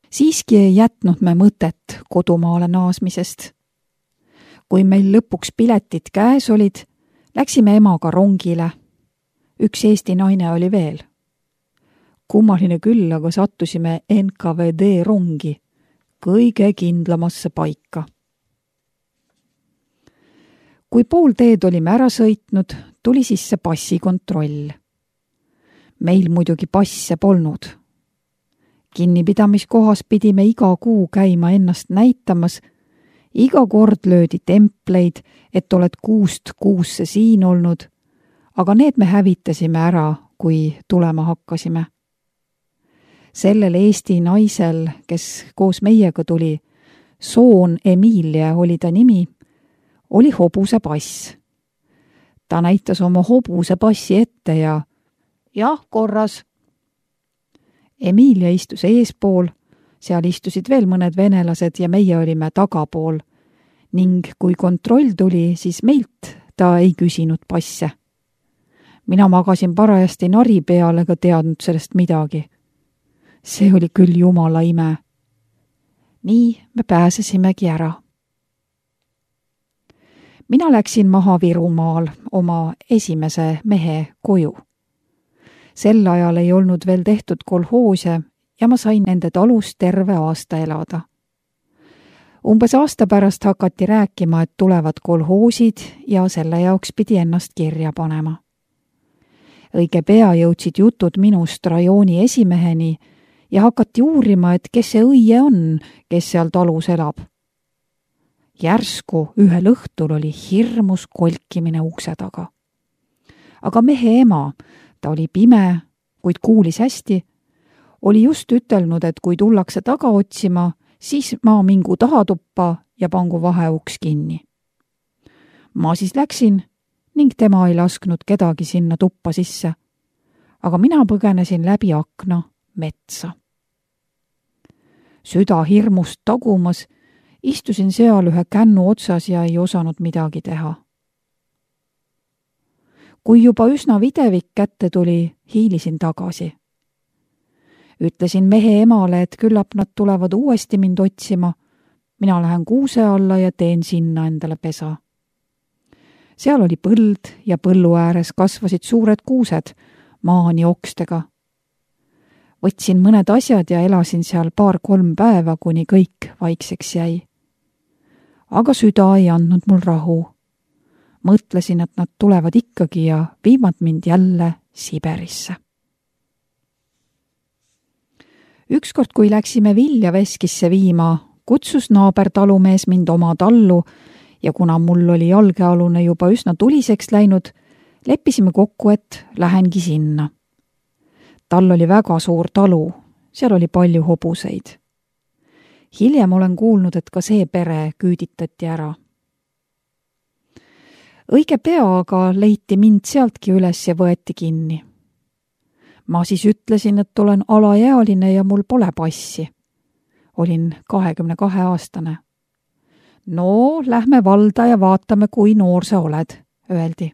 Siiski ei jätnud me mõtet kodumaale naasmisest. Kui meil lõpuks piletid käes olid, läksime emaga rongile. Üks Eesti naine oli veel. Kummaline küll, aga sattusime NKVD rongi, kõige kindlamasse paika. Kui pool teed olime ära sõitnud, tuli sisse passikontroll. Meil muidugi passe polnud. Kinnipidamiskohas pidime iga kuu käima ennast näitamas. Iga kord löödi templeid, et oled kuust kuusse siin olnud, aga need me hävitasime ära, kui tulema hakkasime. Sellel Eesti naisel, kes koos meiega tuli, Soon Emilia oli ta nimi, oli hobuse pass. Ta näitas oma hobuse passi ette ja jah, korras. Emilia istus eespool, seal istusid veel mõned venelased ja meie olime tagapool ning kui kontroll tuli, siis meilt ta ei küsinud passe. Mina magasin parajasti nari peal ega teadnud sellest midagi. See oli küll jumala ime. Nii me pääsesimegi ära. Mina läksin maha Virumaal oma esimese mehe koju. Sel ajal ei olnud veel tehtud kolhoose ja ma sain nende talus terve aasta elada. Umbes aasta pärast hakati rääkima, et tulevad kolhoosid ja selle jaoks pidi ennast kirja panema. Õige pea jõudsid jutud minust rajooni esimeheni ja hakati uurima, et kes see õie on, kes seal talus elab. Järsku ühel õhtul oli hirmus kolkimine ukse taga. Aga mehe ema, ta oli pime, kuid kuulis hästi, oli just ütelnud, et kui tullakse taga otsima, siis ma mingu tahatuppa ja pangu vaheuks kinni. Ma siis läksin ning tema ei lasknud kedagi sinna tuppa sisse, aga mina põgenesin läbi akna metsa. Süda hirmust tagumas, istusin seal ühe kännu otsas ja ei osanud midagi teha. Kui juba üsna videvik kätte tuli, hiilisin tagasi. Ütlesin mehe emale, et küllap nad tulevad uuesti mind otsima. Mina lähen kuuse alla ja teen sinna endale pesa. Seal oli põld ja põllu ääres kasvasid suured kuused maani okstega. Võtsin mõned asjad ja elasin seal 2-3 päeva, kuni kõik vaikseks jäi. Aga süda ei andnud mul rahu. Mõtlesin, et nad tulevad ikkagi ja viivad mind jälle Siberisse. Ükskord, kui läksime vilja veskisse viima, kutsus naabertalumees mind oma tallu ja kuna mul oli jalgealune juba üsna tuliseks läinud, leppisime kokku, et lähengi sinna. Tal oli väga suur talu, seal oli palju hobuseid. Hiljem olen kuulnud, et ka see pere küüditati ära. Õige pea aga leiti mind sealtki üles ja võeti kinni. Ma siis ütlesin, et olen alaealine ja mul pole passi. Olin 22-aastane. No, lähme valda ja vaatame, kui noor sa oled, öeldi.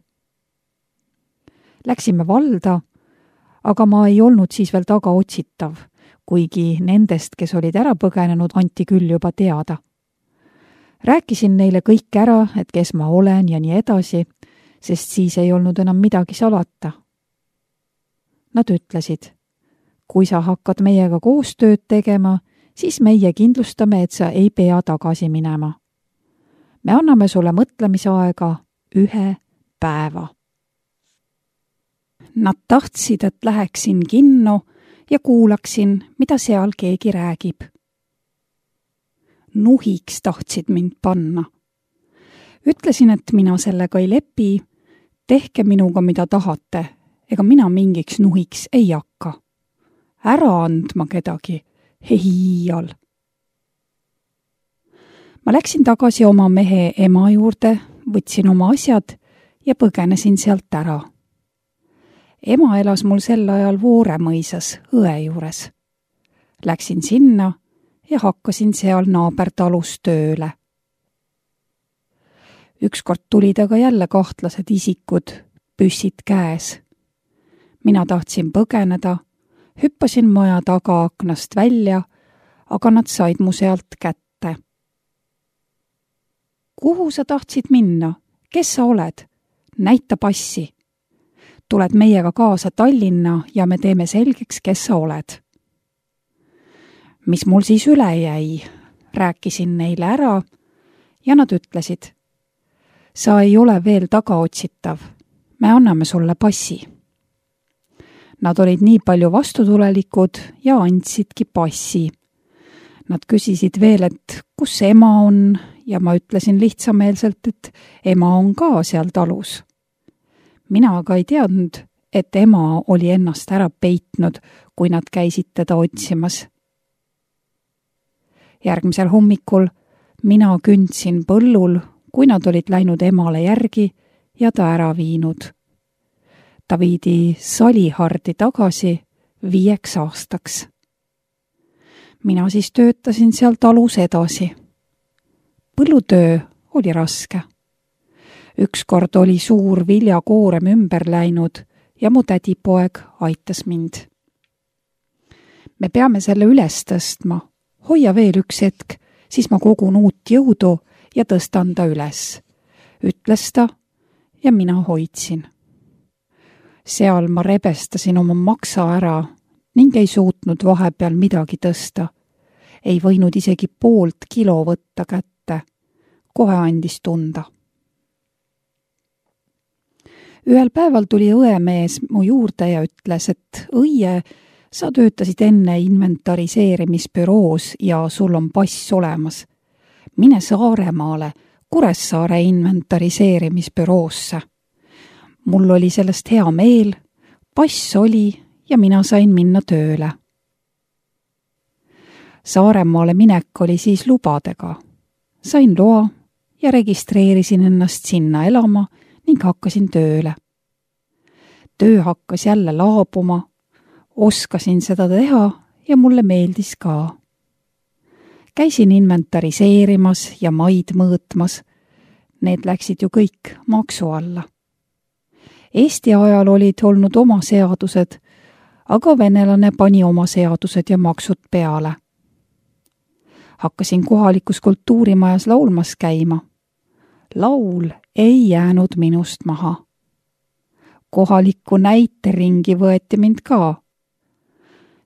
Läksime valda, aga ma ei olnud siis veel taga otsitav, kuigi nendest, kes olid ära põgenenud, anti küll juba teada. Rääkisin neile kõik ära, et kes ma olen ja nii edasi, sest siis ei olnud enam midagi salata. Nad ütlesid, kui sa hakkad meiega koostööd tegema, siis meie kindlustame, et sa ei pea tagasi minema. Me anname sulle mõtlemisaega 1 päeva. Nad tahtsid, et läheksin kinno ja kuulaksin, mida seal keegi räägib. Nuhiks tahtsid mind panna. Ütlesin, et mina sellega ei lepi, tehke minuga mida tahate, ega mina mingiks nuhiks ei hakka. Ära andma kedagi, hiial. Ma läksin tagasi oma mehe ema juurde, võtsin oma asjad ja põgenesin sealt ära. Ema elas mul sel ajal Vooremõisas õe juures. Läksin sinna ja hakkasin seal naabertalus tööle. Ükskord tulid aga jälle kahtlased isikud, püssid käes. Mina tahtsin põgeneda, hüppasin maja taga aknast välja, aga nad said mu sealt kätte. Kuhu sa tahtsid minna? Kes sa oled? Näita passi. Tuled meiega kaasa Tallinna ja me teeme selgeks, kes sa oled. Mis mul siis üle jäi? Rääkisin neile ära ja nad ütlesid, sa ei ole veel tagaotsitav, me anname sulle passi. Nad olid nii palju vastutulelikud ja andsidki passi. Nad küsisid veel, et kus ema on ja ma ütlesin lihtsameelselt, et ema on ka seal talus. Mina aga ei teadnud, et ema oli ennast ära peitnud, kui nad käisid teda otsimas. Järgmisel hommikul mina kündsin põllul, kui nad olid läinud emale järgi ja ta ära viinud. Ta viidi Salihardi tagasi 5 aastaks. Mina siis töötasin seal talus edasi. Põllutöö oli raske. Ükskord oli suur viljakoorem ümber läinud ja mu tädipoeg aitas mind. Me peame selle üles tõstma. Hoia veel üks hetk, siis ma kogun uut jõudu ja tõstan ta üles. Ütles ta ja mina hoidsin. Seal ma rebestasin oma maksa ära ning ei suutnud vahepeal midagi tõsta. Ei võinud isegi 0,5 kilo võtta kätte. Kohe andis tunda. Ühel päeval tuli õemees mu juurde ja ütles, et õie, sa töötasid enne inventariseerimisbüroos ja sul on pass olemas. Mine Saaremaale, Kuressaare inventariseerimisbüroosse. Mul oli sellest hea meel, pass oli ja mina sain minna tööle. Saaremaale minek oli siis lubadega. Sain loa ja registreerisin ennast sinna elama ning hakkasin tööle. Töö hakkas jälle laabuma, oskasin seda teha ja mulle meeldis ka. Käisin inventariseerimas ja maid mõõtmas. Need läksid ju kõik maksu alla. Eesti ajal olid olnud oma seadused, aga venelane pani oma seadused ja maksud peale. Hakkasin kohalikus kultuurimajas laulmas käima. Laul ei jäänud minust maha. Kohaliku näiteringi võeti mind ka.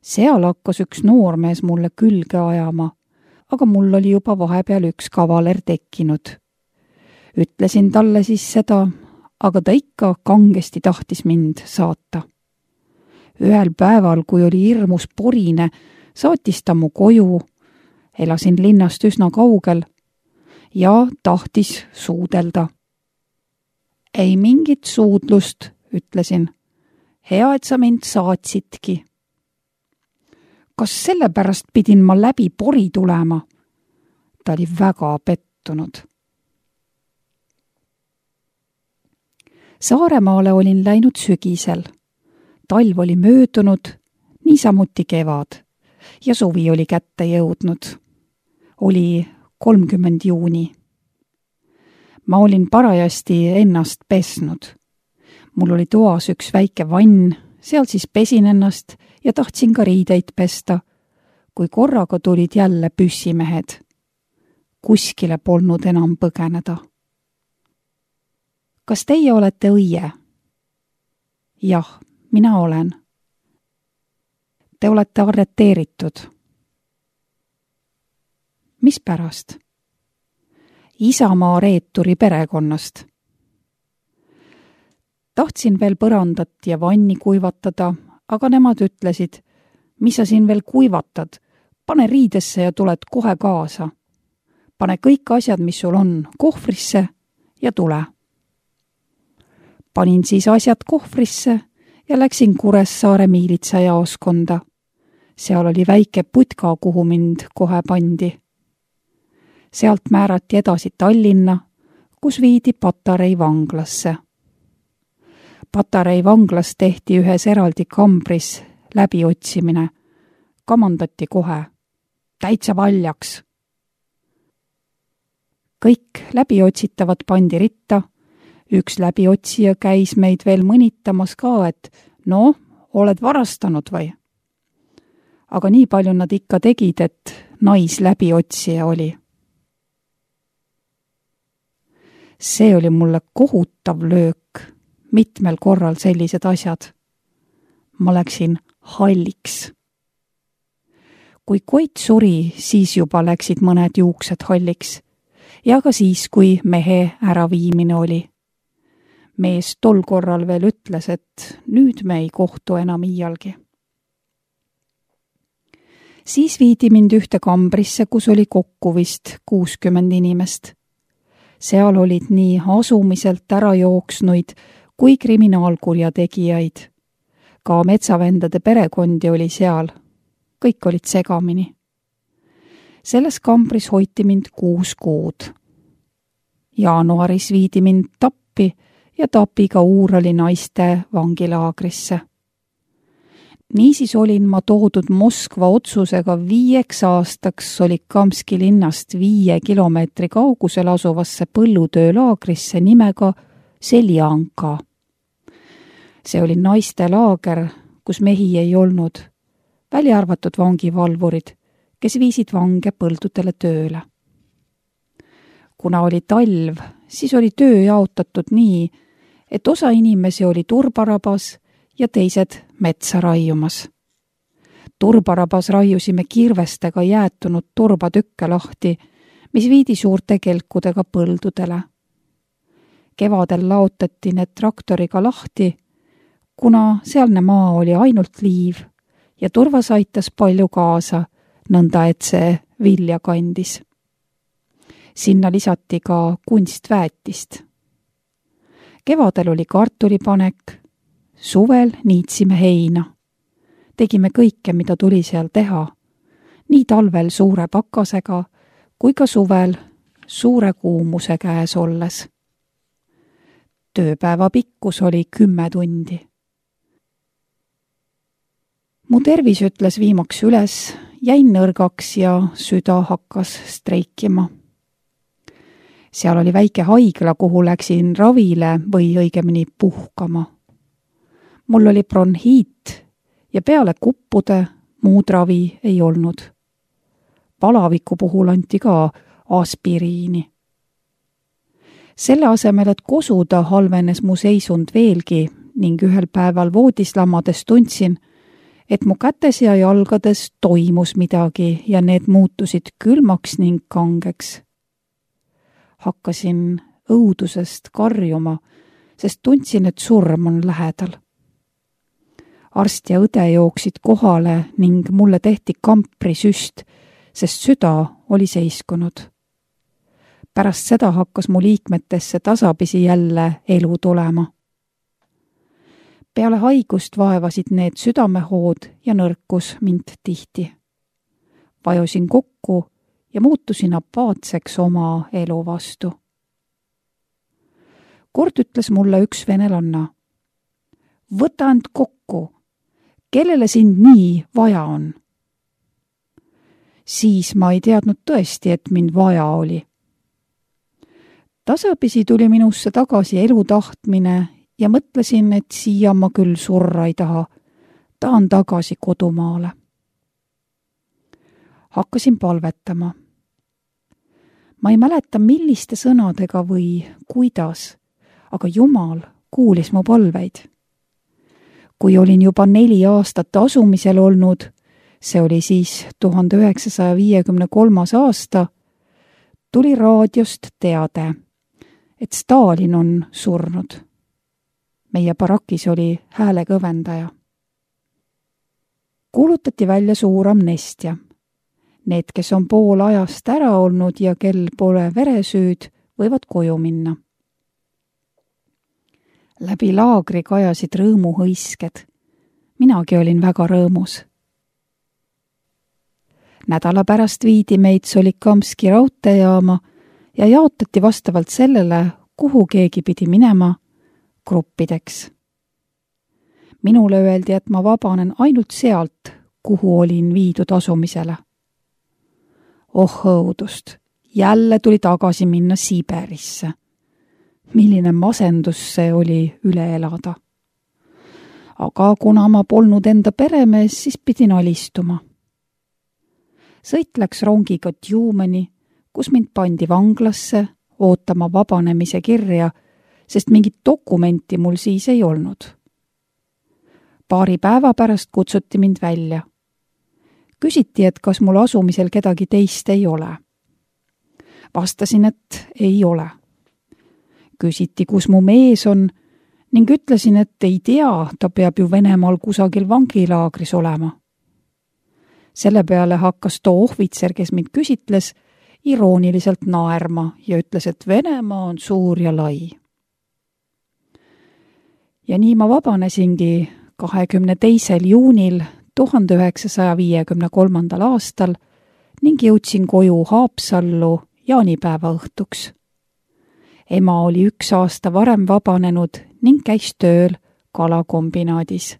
Seal hakkas üks noormees mulle külge ajama, aga mul oli juba vahepeal üks kavaler tekkinud. Ütlesin talle siis seda, aga ta ikka kangesti tahtis mind saata. Ühel päeval, kui oli hirmus porine, saatis ta mu koju, elasin linnast üsna kaugel ja tahtis suudelda. Ei mingit suudlust, ütlesin. Hea, et sa mind saatsidki. Kas sellepärast pidin ma läbi pori tulema? Ta oli väga pettunud. Saaremaale olin läinud sügisel. Talv oli möödunud, niisamuti kevad ja suvi oli kätte jõudnud. Oli 30 juuni. Ma olin parajasti ennast pesnud. Mul oli toas üks väike vann, seal siis pesin ennast ja tahtsin ka riideid pesta, kui korraga tulid jälle püssimehed. Kuskile polnud enam põgeneda. Kas teie olete õie? Jah, mina olen. Te olete arreteeritud. Mis pärast? Isamaa reeturi perekonnast. Tahtsin veel põrandat ja vanni kuivatada, aga nemad ütlesid, mis sa siin veel kuivatad, pane riidesse ja tuled kohe kaasa. Pane kõik asjad, mis sul on, kohvrisse ja tule. Panin siis asjad kohvrisse ja läksin Kuressaare miilitsajaoskonda. Seal oli väike putka, kuhu mind kohe pandi. Sealt määrati edasi Tallinna, kus viidi Patarei vanglasse. Patarei vanglas tehti ühes eraldi kambris läbiotsimine. Kamandati kohe. Täitsa valjaks. Kõik läbiotsitavad pandi ritta. Üks läbiotsija käis meid veel mõnitamas ka, et no, oled varastanud või? Aga nii palju nad ikka tegid, et naisläbiotsija oli. See oli mulle kohutav löök, mitmel korral sellised asjad. Ma läksin halliks. Kui Koit suri, siis juba läksid mõned juuksed halliks ja ka siis, kui mehe äraviimine oli. Mees tol korral veel ütles, et nüüd me ei kohtu enam iialgi. Siis viidi mind ühte kambrisse, kus oli kokku vist 60 inimest. Seal olid nii asumiselt ära jooksnuid kui kriminaalkurjategijaid. Ka metsavendade perekondi oli seal. Kõik olid segamini. Selles kambris hoiti mind 6 kuud. Jaanuaris viidi mind Tappi ja Tapiga Uurali naiste vangilaagrisse. Niisiis olin ma toodud Moskva otsusega 5 aastaks Solikamski linnast 5 kilomeetri kaugusel asuvasse põllutöölaagrisse nimega Seljanka. See oli naiste laager, kus mehi ei olnud, välja arvatud vangivalvurid, kes viisid vange põldudele tööle. Kuna oli talv, siis oli töö jaotatud nii, et osa inimesi oli turbarabas ja teised metsa raiumas. Turbarabas raiusime kirvestega jäätunud turbatükke lahti, mis viidi suurte kelkudega põldudele. Kevadel laotati need traktoriga lahti, kuna sealne maa oli ainult liiv ja turvas aitas palju kaasa, nõnda et see vilja kandis. Sinna lisati ka kunstväetist. Kevadel oli kartulipanek, suvel niitsime heina. Tegime kõike, mida tuli seal teha, nii talvel suure pakasega kui ka suvel suure kuumuse käes olles. Tööpäeva pikkus oli 10 tundi. Mu tervis ütles viimaks üles, jäin nõrgaks ja süda hakkas streikima. Seal oli väike haigla, kuhu läksin ravile või õigemini puhkama. Mul oli bronhiit ja peale kuppude muud ravi ei olnud. Palaviku puhul anti ka aspiriini. Selle asemel, et kosuda, halvenes mu seisund veelgi ning ühel päeval voodis lamades tundsin, et mu kätes ja jalgades toimus midagi ja need muutusid külmaks ning kangeks. Hakkasin õudusest karjuma, sest tundsin, et surm on lähedal. Arst ja õde jooksid kohale ning mulle tehti kamprisüst, sest süda oli seiskunud. Pärast seda hakkas mu liikmetesse tasapisi jälle elu tulema. Peale haigust vaevasid need südamehood ja nõrkus mind tihti. Vajusin kokku ja muutusin apaatseks oma elu vastu. Kord ütles mulle üks venelanna: võta end kokku, kellele sind nii vaja on? Siis ma ei teadnud tõesti, et mind vaja oli. Tasapisi tuli minusse tagasi elu tahtmine ja mõtlesin, et siia ma küll surra ei taha. Tahan tagasi kodumaale. Hakkasin palvetama. Ma ei mäleta, milliste sõnadega või kuidas, aga Jumal kuulis mu palveid. Kui olin juba 4 aastat asumisel olnud, see oli siis 1953. aasta, tuli raadiost teade, et Stalin on surnud. Meie barakis oli häälekõvendaja. Kuulutati välja suur amnestia. Need, kes on pool ajast ära olnud ja kel pole veresüüd, võivad koju minna. Läbi laagri kajasid rõõmuhõisked. Minagi olin väga rõõmus. Nädala pärast viidi meid Solikamski raudteejaama ja jaotati vastavalt sellele, kuhu keegi pidi minema, gruppideks. Minule öeldi, et ma vabanen ainult sealt, kuhu olin viidud asumisele. Oh õudust, jälle tuli tagasi minna Siberisse. Milline masendus see oli üle elada. Aga kuna ma polnud enda peremees, siis pidin alistuma. sõit läks rongiga Tjumeni, kus mind pandi vanglasse ootama vabanemise kirja, sest mingit dokumenti mul siis ei olnud. Paari päeva pärast kutsuti mind välja. Küsiti, et kas mul asumisel kedagi teist ei ole. Vastasin, et ei ole. Küsiti, kus mu mees on ning ütlesin, et ei tea, ta peab ju Venemaal kusagil vangilaagris olema. Selle peale hakkas too ohvitser, kes mind küsitles, irooniliselt naerma ja ütles, et Venemaa on suur ja lai. Ja nii ma vabanesingi 22. juunil 1953. aastal ning jõudsin koju Haapsallu jaanipäeva õhtuks. Ema oli 1 aasta varem vabanenud ning käis tööl kalakombinaadis.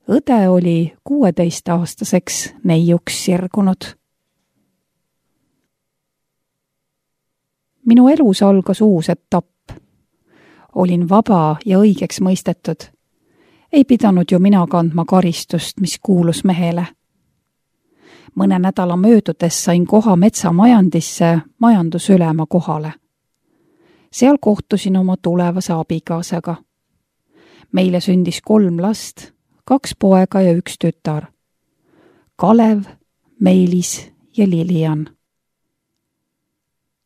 Õde oli 16-aastaseks neiuks sirgunud. Minu elus algas uus etapp. Olin vaba ja õigeks mõistetud. Ei pidanud ju mina kandma karistust, mis kuulus mehele. Mõne nädala möödudes sain koha metsamajandisse majandusülema kohale. Seal kohtusin oma tulevase abikaasaga. Meile sündis 3 last, 2 poega ja 1 tütar. Kalev, Meelis ja Lilian.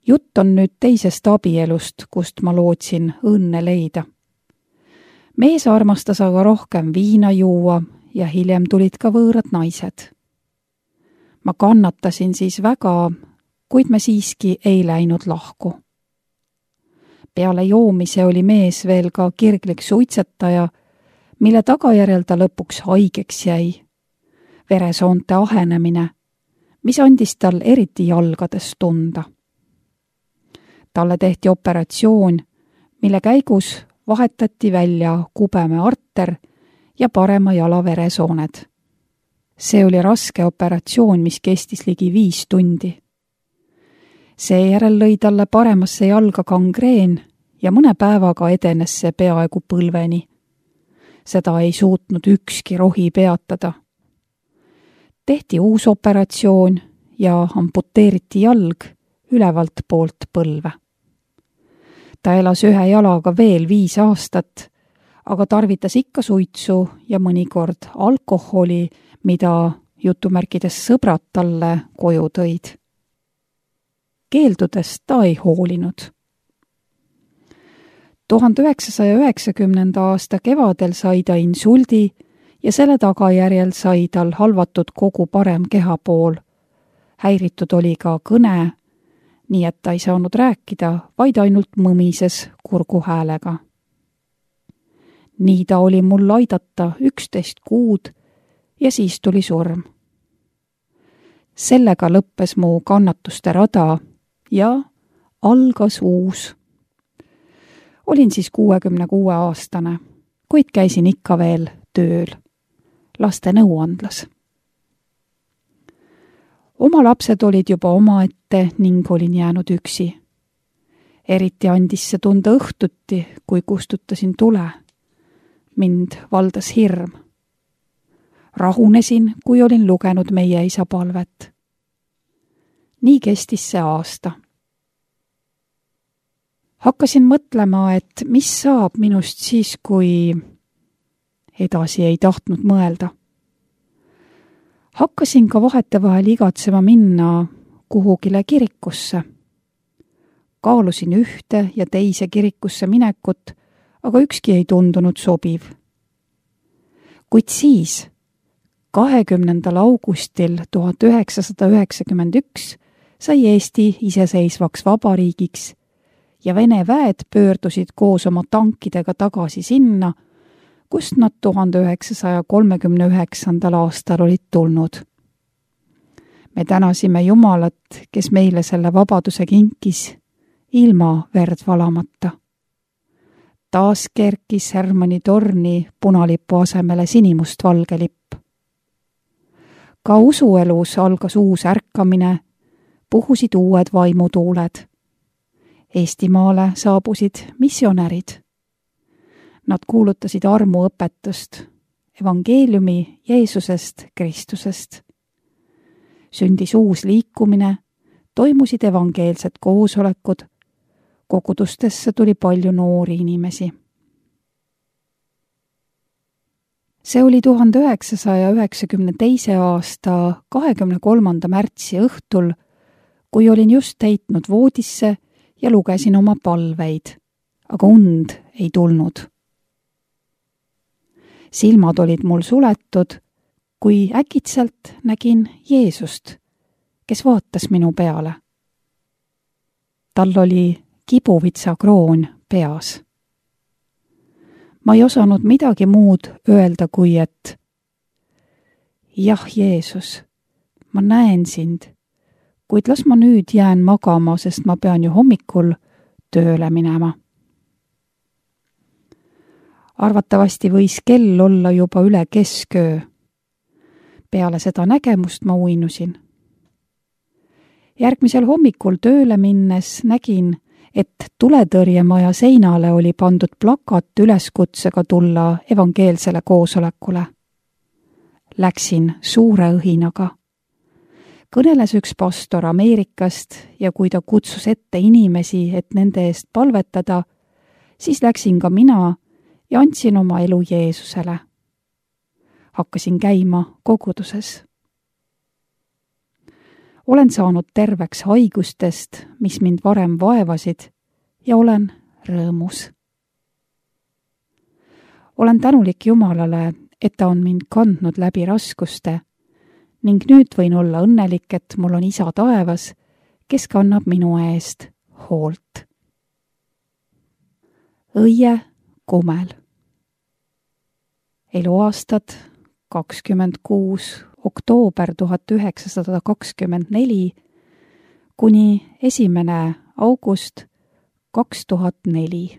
Jutt on nüüd teisest abielust, kust ma lootsin õnne leida. Mees armastas aga rohkem viina juua ja hiljem tulid ka võõrad naised. Ma kannatasin siis väga, kuid me siiski ei läinud lahku. Peale joomise oli mees veel ka kirglik suitsetaja, mille tagajärjel ta lõpuks haigeks jäi. Veresoonte ahenemine, mis andis tal eriti jalgades tunda. Talle tehti operatsioon, mille käigus vahetati välja kubeme arter ja parema jala veresooned. See oli raske operatsioon, mis kestis ligi 5 tundi. Seejärel lõi talle paremasse jalga gangreen ja mõne päevaga edenes see peaaegu põlveni. Seda ei suutnud ükski rohi peatada. Tehti uus operatsioon ja amputeeriti jalg ülevalt poolt põlve. Ta elas 1 jalaga veel 5 aastat, aga tarvitas ikka suitsu ja mõnikord alkoholi, mida jutumärkides sõbrad talle koju tõid. Keeldudest ta ei hoolinud. 1990. aasta kevadel sai ta insuldi ja selle tagajärjel sai tal halvatud kogu parem kehapool. Häiritud oli ka kõne, nii et ta ei saanud rääkida, vaid ainult mõmises kurguhäälega. Nii ta oli mul aidata 11 kuud ja siis tuli surm. Sellega lõppes mu kannatuste rada ja algas uus. Olin siis 66-aastane, kuid käisin ikka veel tööl, laste nõuandlas. Oma lapsed olid juba omaette ning olin jäänud üksi. Eriti andis see tunda õhtuti, kui kustutasin tule. Mind valdas hirm. Rahunesin, kui olin lugenud meie isa palvet. Nii kestis see aasta. Hakkasin mõtlema, et mis saab minust siis, kui edasi ei tahtnud mõelda. Hakkasin ka vahetevahel igatsema minna kuhugile kirikusse. Kaalusin ühte ja teise kirikusse minekut, aga ükski ei tundunud sobiv. Kuid siis, 20. augustil 1991 sai Eesti iseseisvaks vabariigiks ja Vene väed pöördusid koos oma tankidega tagasi sinna, kust nad 1939. aastal olid tulnud. Me tänasime Jumalat, kes meile selle vabaduse kinkis, ilma verd valamata. Taas kerkis Hermanni torni punalipu asemele sinimustvalge lipp. Ka usuelus algas uus ärkamine, puhusid uued vaimutuuled. Eestimaale saabusid missionärid. Nad kuulutasid armuõpetust, evangeeliumi Jeesusest Kristusest. Sündis uus liikumine, toimusid evangeelsed koosolekud, kogudustesse tuli palju noori inimesi. See oli 1992. aasta 23. märtsi õhtul, kui olin just heitnud voodisse ja lugesin oma palveid, aga und ei tulnud. Silmad olid mul suletud, kui äkitselt nägin Jeesust, kes vaatas minu peale. Tal oli kibuvitsa kroon peas. Ma ei osanud midagi muud öelda, kui et jah, Jeesus, ma näen sind, kuid las ma nüüd jään magama, sest ma pean ju hommikul tööle minema. Arvatavasti võis kell olla juba üle kesköö. Peale seda nägemust ma uinusin. Järgmisel hommikul tööle minnes nägin, et tuletõrjemaja seinale oli pandud plakat üleskutsega tulla evangeelsele koosolekule. Läksin suure õhinaga. Kõneles üks pastor Ameerikast ja kui ta kutsus ette inimesi, et nende eest palvetada, siis läksin ka mina ja andsin oma elu Jeesusele. Hakkasin käima koguduses. Olen saanud terveks haigustest, mis mind varem vaevasid, ja olen rõõmus. Olen tänulik Jumalale, et ta on mind kandnud läbi raskuste ning nüüd võin olla õnnelik, et mul on Isa taevas, kes kannab minu eest hoolt. Õie Kumel. Eluaastad 26. oktoober 1924 kuni 1. august 2004.